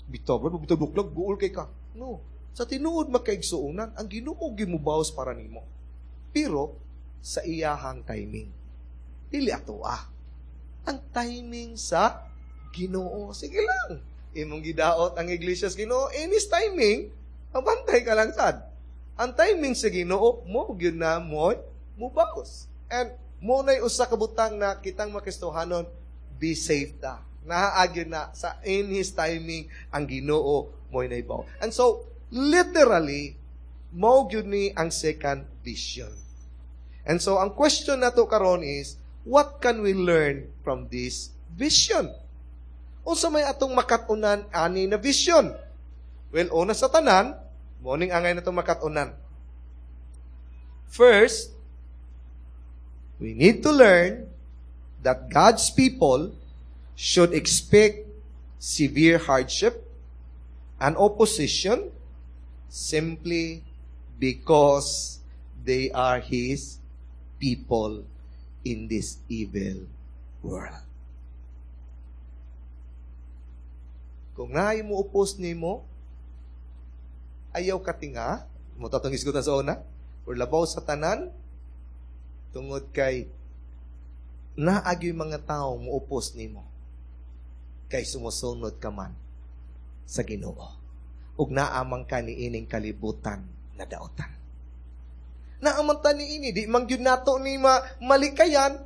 "Bitaw, Brad, bitaw dukla, guol kay ka." No. Sa tinuod, makaigsuonan, ang Ginoo gimubawas para nimo. Pero sa iyahang timing. Dili ato ah. Ang timing sa Ginoo. Sige lang. Imong gidaot ang iglesia sa Ginoo in his timing, mabantay ka lang sad. Ang timing sa Ginoo mo gyud na mo mubawas. And mo na'y usa ka butang na kitang mga Kristohanon, be safe ta. Nahaagyo na sa in his timing ang Ginoo mo'y naibaw. And so, literally, mao gyud ni ang second vision. And so, ang question nato karon is, what can we learn from this vision? Unsa may atong makatunan ani na vision? Well, una sa tanan, morning angay na itong makatunan. First, we need to learn that God's people should expect severe hardship and opposition simply because they are His people in this evil world. Kung naay mo upos nimo, ayaw katinga, mo tatong isgutan sa una, or labaw sa tanan, tungod kay naagyo'y mga tao mo upos nimo, kay sumusunod ka man sa Ginoo. Ug naamang ka ni ining kalibutan na daotan. Naaman ta ni ini, di man gyud nato ni ma malikayan,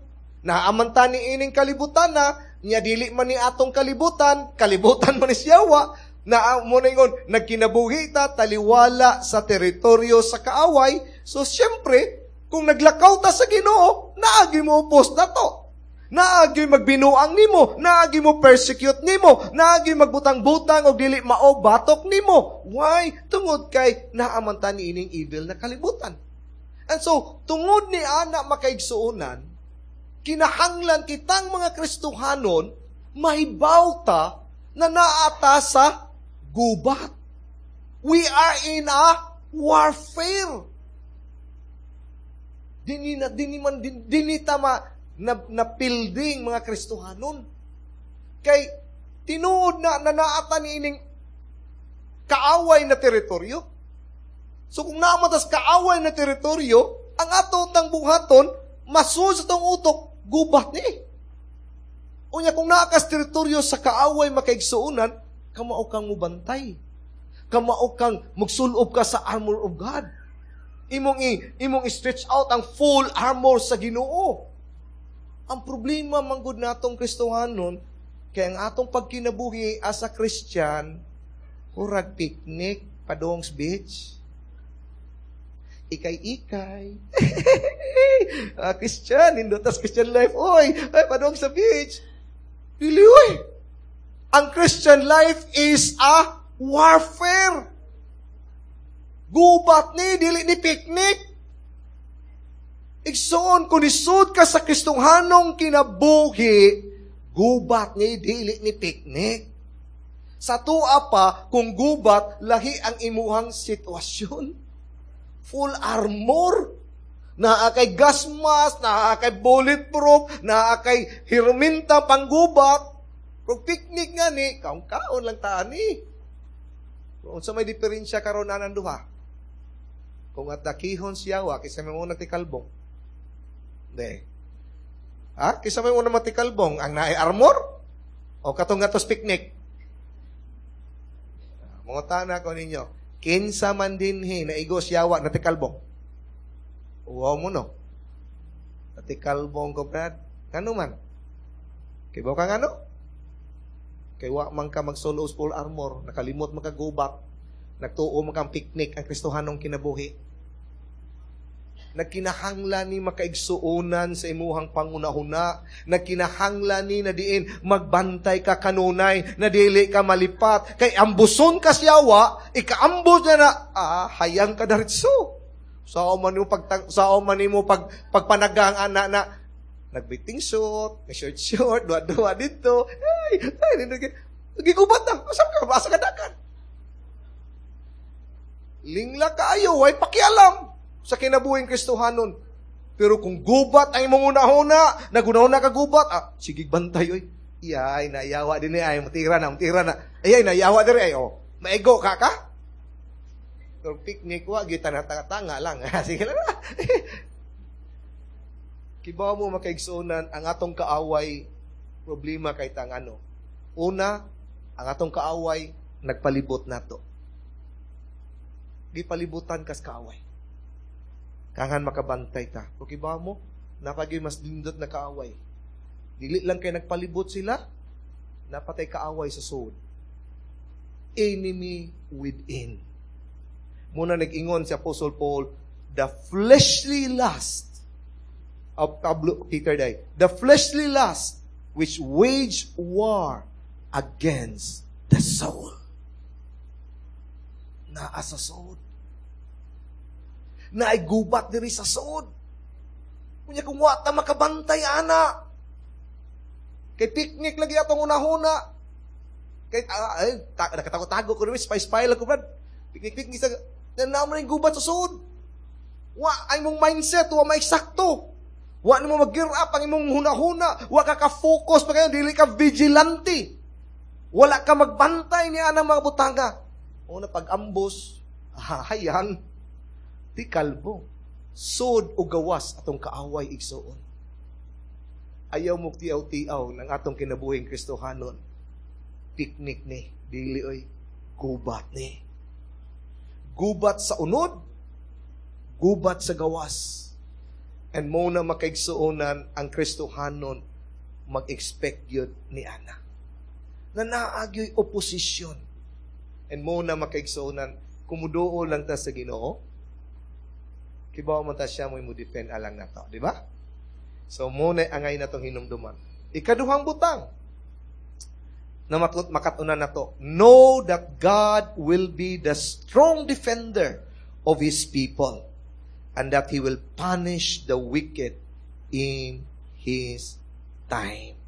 naaman ta ni ining kalibutan na, nya dili man ni atong kalibutan, kalibutan man ni siyawa, na mo na ingon, nagkinabuhi ta, taliwala sa teritoryo sa kaaway. So siyempre, kung naglakaw ta sa Ginoo, naagi mo upos na to. Naagi magbinuang nimo, naagi mo persecute nimo, naagi magbutang-butang og dili mao batok nimo. Why? Tungod kay naaman ta ni ining evil na kalibutan. And so, tungod ni ana, makaigsuonan, kinahanglan kitang mga Kristohanon, mahibaw ta na naata sa gubat. We are in a warfare. Dini na dini man din, dini ta ma, na, na building mga Kristohanon. Kay tinuod na na naata ni ining kaaway na teritoryo. So kung naamatas kaaway na teritoryo, ang ato tang buhaton, masul sa tong utok, gubat ni. Unya kung naakas teritoryo sa kaaway, makaigsuonan, kamao kang mubantay. Kamao kang magsulob ka sa armor of God. Imong i, imong i-stretch out ang full armor sa Ginoo. Ang problema manggod natong Kristohanon, kay ang atong pagkinabuhi as a Christian, hurag picnic padong beach. Ikay-ikay. uh, Christian, hindutas Christian life. Oy, ay, padong sa beach. Dili, oy. Ang Christian life is a warfare. Gubat ni, dili ni picnic. Igsoon, kung isud ka sa Kristohanong kinabuhi, gubat ni, dili ni picnic. Sa tua pa, kung gubat, lahi ang imuhang sitwasyon. Full armor. Naa kay gas mask, naa kay bulletproof, naa kay hirminta panggubat. Kung picnic nga ni, kaon-kaon lang taan ni. Kung sa may diferensya karon anang duha. Kung atakihon siya wa, kaysa may muna tikalbong. Hindi. Ha? Kaysa may muna matikalbong, ang naay armor? O katong ngatos picnic? Mga tana ko ninyo, kinsa man dinhi na igos yawa na tikalbong? Uwaw mo no. Natikalbong ko, Brad. Ngano man? Kay ba ka ngano? Kay wa man ka magsulo full armor, nakalimot man ka gubat, nagtuo man kang picnic ang Kristohanong kinabuhi. Nagkinahanglan ni makaigsuonan sa imuhang panghunahuna. Nagkinahanglan ni na diin magbantay ka kanunay, na dili ka malipat. Kay ambuson ka siyawa, ikaambos niya na, ah, hayang ka daritso. Sao man mo pag sao man nimo pag pagpanagang ana na nagbiting short, short short, duwa-duwa dito. Ay, ay, gigubat na. Asa ka? Asa ka dakan? Lingla kaayo, way pakialam sa kinabuhing Kristohanon. Pero kung gubat ang imong hunahuna, nagunahuna ka gubat, ah, sige bantay oy. Iyay, nayawa din ni ay, matira na, matira na. Ayay, nayawa diri ay, oh. Maigo ka ka? Pero picnic wa gyud tanga lang. Sige lang. Kibaw mo makaigsuonan ang atong kaaway problema kay tang ano. Una, ang atong kaaway nagpalibot nato. Gipalibutan kas kaaway. Kangan makabantay ta. O kibaw mo, napagay mas lindot na kaaway. Dili lang kay nagpalibot sila, napatay kaaway sa sud. Enemy within. Muna nag-ingon si Apostle Paul, the fleshly lust of Pablo Peter day, the fleshly lust which wage war against the soul. Naa sa sud. Naay gubat diri sa sud. Kunya kung wa ta makabantay ana. Kay picnic lagi atong unahuna. Kay ah, ay ta, nakatago-tago ko spy spy lang ko brad. Picnic picnic sa na mo gubat sa sud. Wa ay mong mindset wa maesakto. Wa nimo mag-gear up ang imong hunahuna, wa ka ka-focus pa kayo, dili ka vigilante. Wala ka magbantay ni anang mga butanga. Una pag-ambos, hayang ti kalbo. Sud o gawas atong kaaway igsuon. Ayaw mo tiaw-tiaw ng atong kinabuhing Kristohanon. Picnic ni, dili oy, gubat ni. Gubat sa unod, gubat sa gawas. And mo na makaigsuonan ang Kristohanon mag-expect yun ni ana. Na naagyo'y oposisyon. And mo na makaigsuonan, kumuduo lang ta sa Ginoo, kibaw man ta siya mo mo defend alang nato, di ba? So mo na angay na tong hinumduman. Ikaduhang butang na makatunan nato, know that God will be the strong defender of His people and that He will punish the wicked in His time.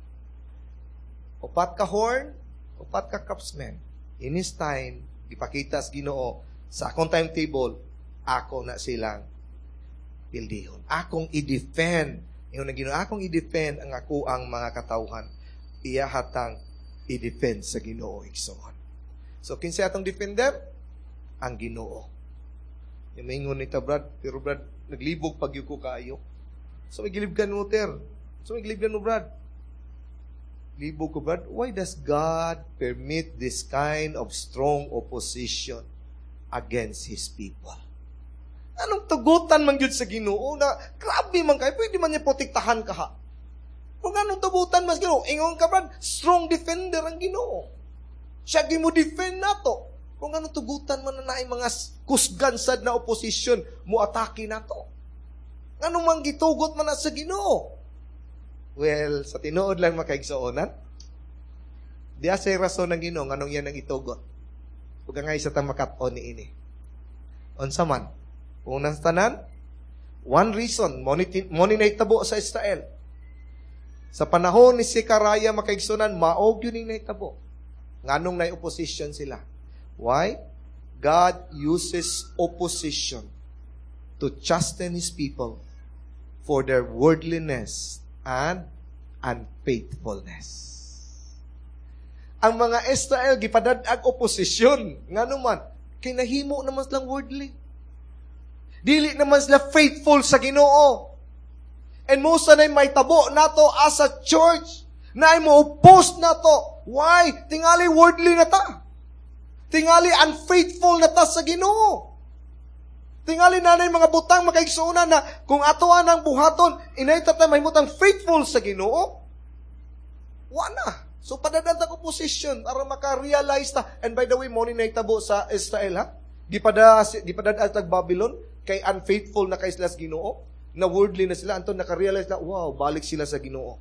Upat ka horn, upat ka craftsman. In His time, ipakita sa Ginoo sa akong timetable, ako na silang pildihon. Akong i-defend. Ingon ng Ginoo, akong i-defend ang ako ang mga katawhan. Iya hatang i-defend sa Ginoo igsoon. So kinsa atong defender? Ang Ginoo. Yung maingon ni ta Brad, pero Brad, naglibog pag ko kaayo. So may gilibgan mo, ter. So may gilibgan mo, Brad. Libog ko, Brad. Why does God permit this kind of strong opposition against His people? Anong tugutan man gyud sa Ginoo na grabe man kayo, pwede man niya protektahan ka ha. Kung anong tugutan man sa Ginoo, ingon ka Brad, strong defender ang Ginoo. Siya mo defend nato. Kung anong tugutan man na naay mga kusgan sad na opposition mo atake nato. Anong mang gitugot man na sa Ginoo? Well, sa tinuod lang makaigsuonan, di sa rason ng Ginoo nganong yan ang itugot. Ug angay sa ta makat-on ni ini. Unsa man? Unang tanan, one reason, mo ni mo ni nahitabo sa Israel. Sa panahon ni Zechariah makaigsunan, mao gyud ning nahitabo. Nganong nay opposition sila? Why? God uses opposition to chasten His people for their worldliness and unfaithfulness. Ang mga Israel gipadad-ag oposisyon. Ngano man, kinahimo naman silang worldly. Dili naman sila faithful sa Ginoo. And most na may tabo nato as a church na ay mo oppose nato. Why? Tingali worldly na ta. Tingali unfaithful na ta sa Ginoo. Tingali na mga butang makaigsuonan na kung ato ang buhaton, inay ta ta mahimutang faithful sa Ginoo. Wa na. So padadan ta opposition para maka-realize ta. And by the way, mo ni nahitabo sa Israel ha. Gipada gipadad tag Babylon. Kay unfaithful na kay sila sa Ginoo, na worldly na sila, anton naka-realize na, wow, balik sila sa Ginoo.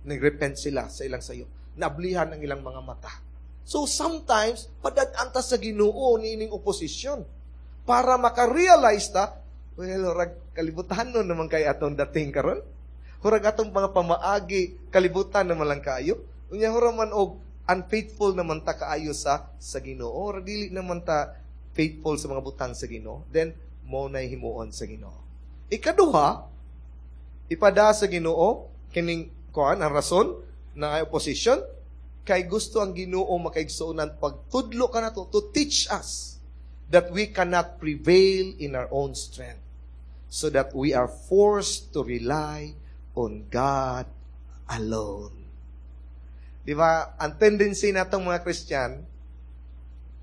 Nag-repent sila sa ilang sayo. Naablihan ang ilang mga mata. So sometimes, padad-an ta sa Ginoo niining opposition para maka-realize ta, well, rag kalibutan nun naman kay atong dating karon. Hurag atong mga pamaagi, kalibutan naman lang kaayo. Unya hura man og unfaithful naman ta kaayo sa sa Ginoo. Or dili naman ta faithful sa mga butang sa Ginoo. Then mo na himuon sa Ginoo. Ikaduha, ipada sa Ginoo kining kuan ang rason na opposition kay gusto ang Ginoo makaigsuonan pagtudlo ka nato to teach us that we cannot prevail in our own strength so that we are forced to rely on God alone. Di ba? Ang tendency natong mga Christian,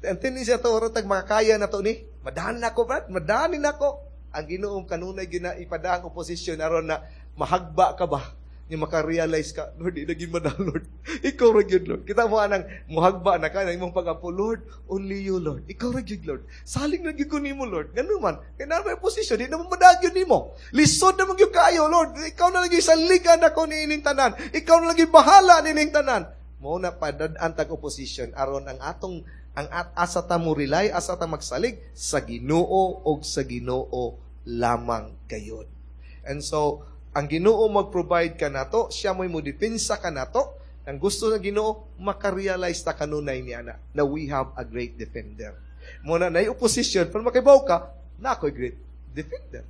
ang tendency nato oro tag makakaya na to ni, madahan na ko, Brad, madahanin nako. Ang Ginoo kanunay gina ipada ang oposisyon aron na mahagba ka ba? Ni maka-realize ka, Lord, di naging madahan, Lord. Ikaw ra gyud, Lord. Kita mo anang muhagba na ka na imong pag-ampo, Lord, only you, Lord. Ikaw ra gyud, Lord. Salig na gyud ko nimo, Lord. Ngano man, kay naa may posisyon, di na mo madahan gyud nimo. Lisod na man gyud kaayo, Lord. Ikaw na lagi saligan ako niining tanan. Ikaw na lagi bahala niining tanan. Mao na padad-an tag opposition aron ang atong ang at asa ta mo rely, asa ta magsalig sa Ginoo og sa Ginoo lamang gayod. And so, ang Ginoo mag-provide ka nato, siya mo'y mo depensa ka nato. Ang gusto ng Ginoo, makarealize ta kanunay niya na, na we have a great defender. Muna na opposition, pero makibaw ka, na ako'y great defender.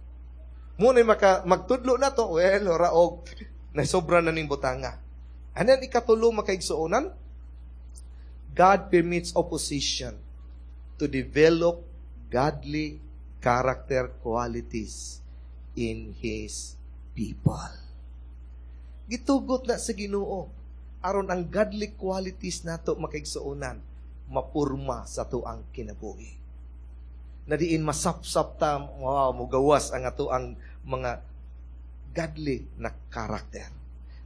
Muna maka, magtudlo na to, well, ora og na sobra na ning butanga. And then ikatulo makaigsuonan, God permits opposition to develop godly character qualities in His people. Gitugot na sa Ginoo aron ang godly qualities nato makaigsuonan mapurma sa tuang kinabuhi. Na diin masapsap ta, wow, mugawas ang ato ang mga godly na karakter.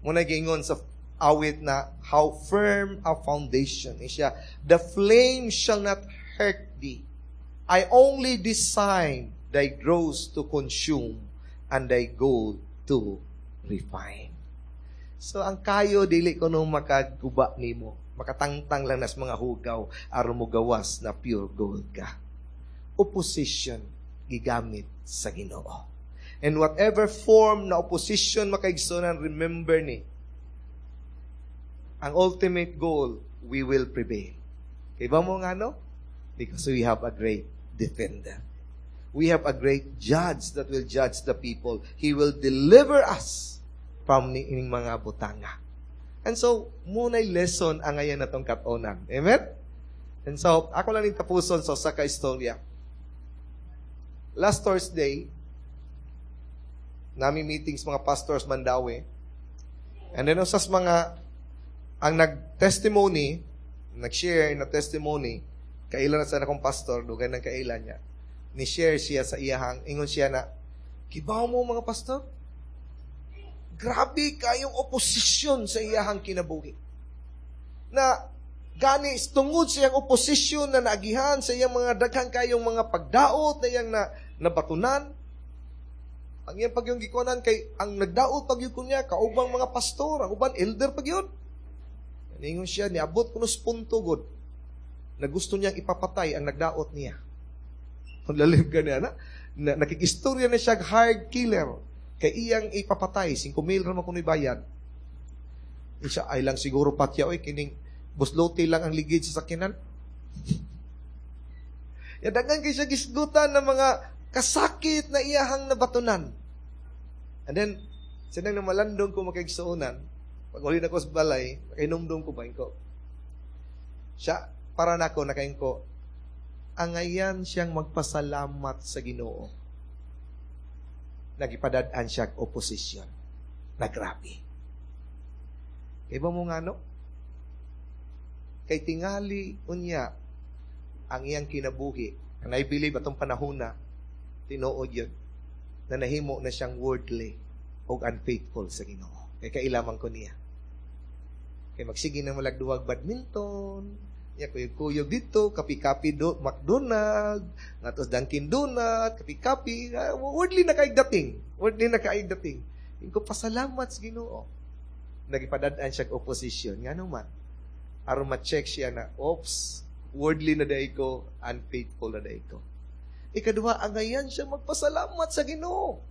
Muna giingon sa awit na how firm a foundation is siya, the flame shall not hurt thee. I only design thy dross to consume and thy gold to refine. So ang kayo dili ko nung makaguba nimo, makatangtang lang nas mga hugaw aron mo gawas na pure gold ka. Opposition gigamit sa Ginoo. And whatever form na opposition makaigsunan, remember ni, ang ultimate goal, we will prevail. Kay ba mo nga no? Because we have a great defender. We have a great judge that will judge the people. He will deliver us from ni ining mga butanga. And so, muna'y lesson ang ngayon na tong katonan. Amen? And so, ako lang ning tapuson sa usa ka istorya. Last Thursday, nami meetings mga pastors Mandaue. And then usas mga ang nag-testimony, nag-share na testimony, kailan na sa akong pastor, dugay ng kailan niya. Ni-share siya sa iyahang, ingon siya na, kibaw mo mga pastor? Grabe kayong oposisyon sa iyahang kinabuhi. Na gani tungod sa iyang oposisyon na naagihan sa iyang mga daghan kayong mga pagdaot na iyang na, nabatunan, ang iyang pagyong gikuanan kay ang nagdaot pagyud niya kaubang mga pastor, ang uban elder pagyud. Ningon siya niabot kuno sa punto gud na gusto niyang ipapatay ang nagdaot niya. Ang lalim ka niya na, na nakikistorya na siya hired killer kay iyang ipapatay five mil ra man kuno'y bayad. Siya ay lang siguro patya oy kining buslote lang ang ligid sa sakinan. Ya daghan kay siya gisgutan ng mga kasakit na iyahang nabatunan. And then, sinang namalandong ko makaigsuonan, pag uli na ko sa balay, nakainumdum ko ba, ko. Siya, para nako, nakain ko, angayan siyang magpasalamat sa Ginoo. Nagipadad-an siya oposisyon. Nagrabe. Kay ba mo nga no? Kay tingali unya ang iyang kinabuhi. And I believe atong panahon na tinuod yun, na nahimo na siyang worldly o unfaithful sa Ginoo. Kay kailaman ko niya. Kay magsige na malagduwag badminton, Ya kuyog-kuyog dito, kapi-kapi do McDonald, ngatos Dunkin Donut, kapi-kapi, uh, worldly na kaayog dating. Worldly na kaayog dating. Ingon ko pasalamat sa Ginoo. Nagipadad-an siya opposition. Ngano man? Aron ma-check siya na, oops, worldly na diay ko, unfaithful na diay ko. Ikaduha, angayan siya magpasalamat sa Ginoo.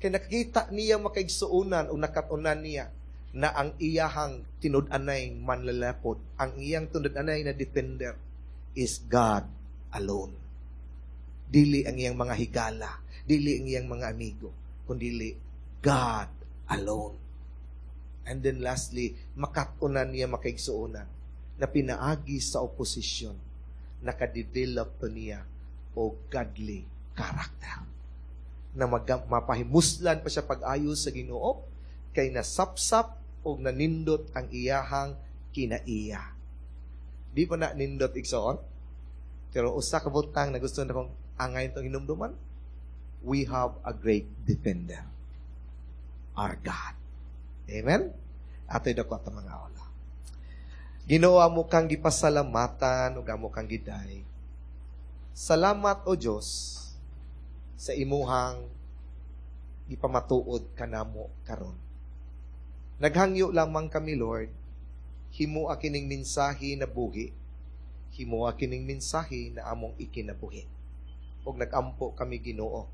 Kay nakakita niya makaigsuonan o nakatunan niya na ang iyahang tinud-anay manlalapod, ang iyang tinud-anay na defender is God alone. Dili ang iyang mga higala, dili ang iyang mga amigo, kundili God alone. And then lastly, makatunan niya makaigsuonan na pinaagi sa oposisyon, nakadevelop to niya o godly character. Na mag, mapahimuslan pa siya pag-ayo sa Ginoo kay nasapsap o nanindot ang iyahang kinaiya. Di pa na nindot igsoon? Pero usa ka butang na gusto na kong angay itong hinumduman, we have a great defender. Our God. Amen? Ato'y dako at mga ola. Ginoo amo kang gipasalamatan ug amo kang giday. Salamat o Dios sa imuhang gipamatuod kanamo karon. Naghangyo lamang kami, Lord, himua kining mensahe na buhi. Himua kining mensahe na among ikinabuhi. Ug nagampo kami Ginoo.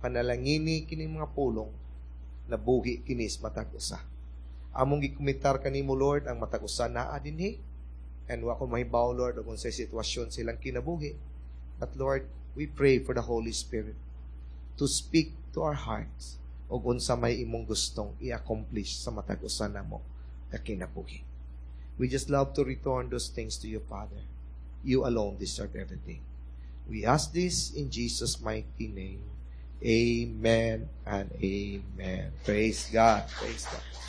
Panalangini kining mga pulong na buhi kinis matag usa. Among gikomitar kanimo Lord ang matag usa naa dinhi. And wa ko mahibaw Lord ug unsay sitwasyon silang kinabuhi. But Lord, we pray for the Holy Spirit to speak to our hearts ug unsa may imong gustong i-accomplish sa matag usa namo ka kinabuhi. We just love to return those things to you, Father. You alone deserve everything. We ask this in Jesus' mighty name. Amen and amen. Praise God. Praise God.